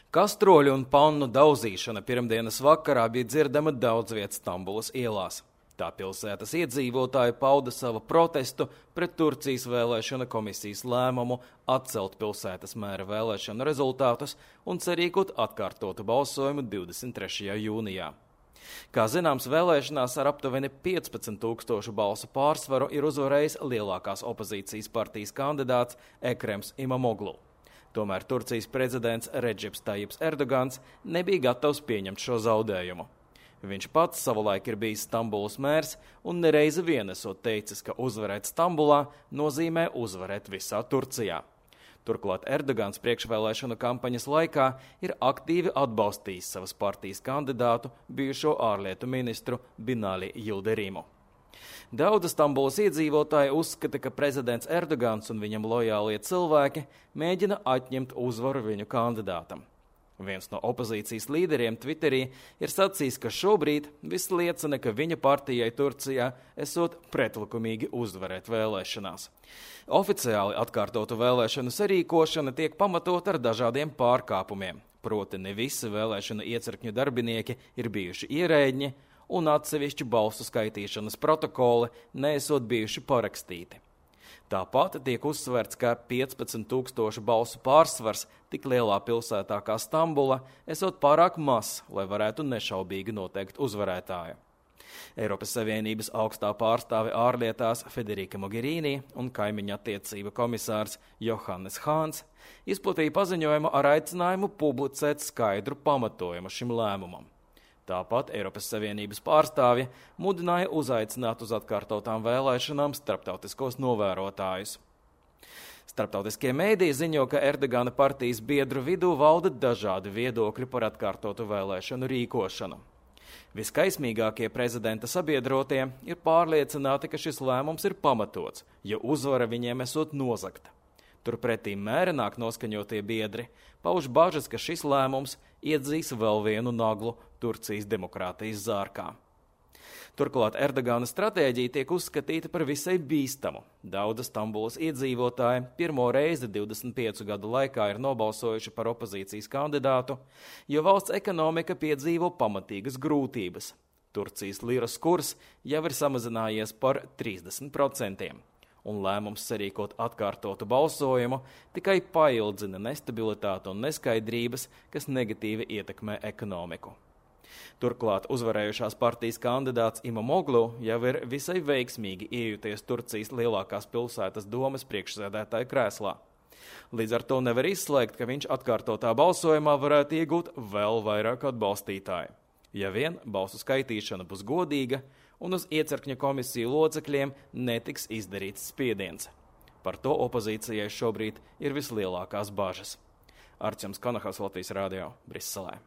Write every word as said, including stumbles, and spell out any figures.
Kastroļu un pannu daudzīšana pirmdienas vakarā bija dzirdama daudz viet Stambulas ielās. Tā pilsētas iedzīvotāji pauda savu protestu pret Turcijas vēlēšana komisijas lēmumu atcelt pilsētas mēra vēlēšanu rezultātus un cerīkot atkārtotu balsojumu divdesmit trešajā jūnijā. Kā zināms, vēlēšanās ar aptuveni piecpadsmit tūkstošu balsu pārsvaru ir uzvarējis lielākās opozīcijas partijas kandidāts Ekrems Imamoglu. Tomēr Turcijas prezidents Redžips Tajips Erdogans nebija gatavs pieņemt šo zaudējumu. Viņš pats savulaik ir bijis Stambulas mērs un nereizi vien esot teicis, ka uzvarēt Stambulā nozīmē uzvarēt visā Turcijā. Turklāt Erdogans priekšvēlēšanu kampaņas laikā ir aktīvi atbalstījis savas partijas kandidātu, bijušo ārlietu ministru Binali Yildirim'u. Daudzi Stambulas iedzīvotāji uzskata, ka prezidents Erdogans un viņam lojālie cilvēki mēģina atņemt uzvaru viņu kandidātam. Viens no opozīcijas līderiem Twitterī ir sacījis, ka šobrīd viss liecina, ka viņa partijai Turcijā esot pretlikumīgi uzvarēt vēlēšanās. Oficiāli atkārtotu vēlēšanu sarīkošana tiek pamatot ar dažādiem pārkāpumiem, proti ne visi vēlēšanu iecirkņu darbinieki ir bijuši ierēģi, un atsevišķi balsu skaitīšanas protokoli neesot bijuši parakstīti. Tāpat tiek uzsverts, ka piecpadsmit tūkstošu balsu pārsvars tik lielā pilsētā kā Stambula esot pārāk mazs, lai varētu nešaubīgi noteikt uzvarētāju. Eiropas Savienības augstā pārstāve ārlietās Federica Mogherini un kaimiņu attiecību komisārs Johannes Hāns izplatīja paziņojumu ar aicinājumu publicēt skaidru pamatojumu šim lēmumam. Tāpat Eiropas Savienības pārstāvja mudināja uzaicināt uz atkārtotām vēlēšanām starptautiskos novērotājus. Starptautiskie mēdīji ziņo, ka Erdogana partijas biedru vidū valda dažādi viedokļi par atkārtotu vēlēšanu rīkošanu. Viskaismīgākie prezidenta sabiedrotie ir pārliecināti, ka šis lēmums ir pamatots, jo uzvara viņiem esot nozagta. Turpretī mērenāk noskaņotie biedri pauž bažas, ka šis lēmums iedzīs vēl vienu naglu Turcijas demokrātijas zārkā. Turklāt Erdogana stratēģija tiek uzskatīta par visai bīstamu. Daudzi Stambulas iedzīvotāji pirmo reizi divdesmit piecu gadu laikā ir nobalsojuši par opozīcijas kandidātu, jo valsts ekonomika piedzīvo pamatīgas grūtības. Turcijas liras kurs jau ir samazinājies par trīsdesmit procentiem. Un lēmums sarīkot atkārtotu balsojumu tikai paildzina nestabilitāti un neskaidrības, kas negatīvi ietekmē ekonomiku. Turklāt uzvarējušās partijas kandidāts Imamoglu jau ir visai veiksmīgi iejuties Turcijas lielākās pilsētas domes priekšsēdētāja krēslā. Līdz ar to nevar izslēgt, ka viņš atkārtotā balsojumā varētu iegūt vēl vairāk atbalstītāju. Ja vien balsu skaitīšana būs godīga un uz iecirkņa komisiju locekļiem netiks izdarīts spiediens. Par to opozīcijai šobrīd ir vislielākās bažas. Arčuns Konahaus, Latvijas radio, Briselē.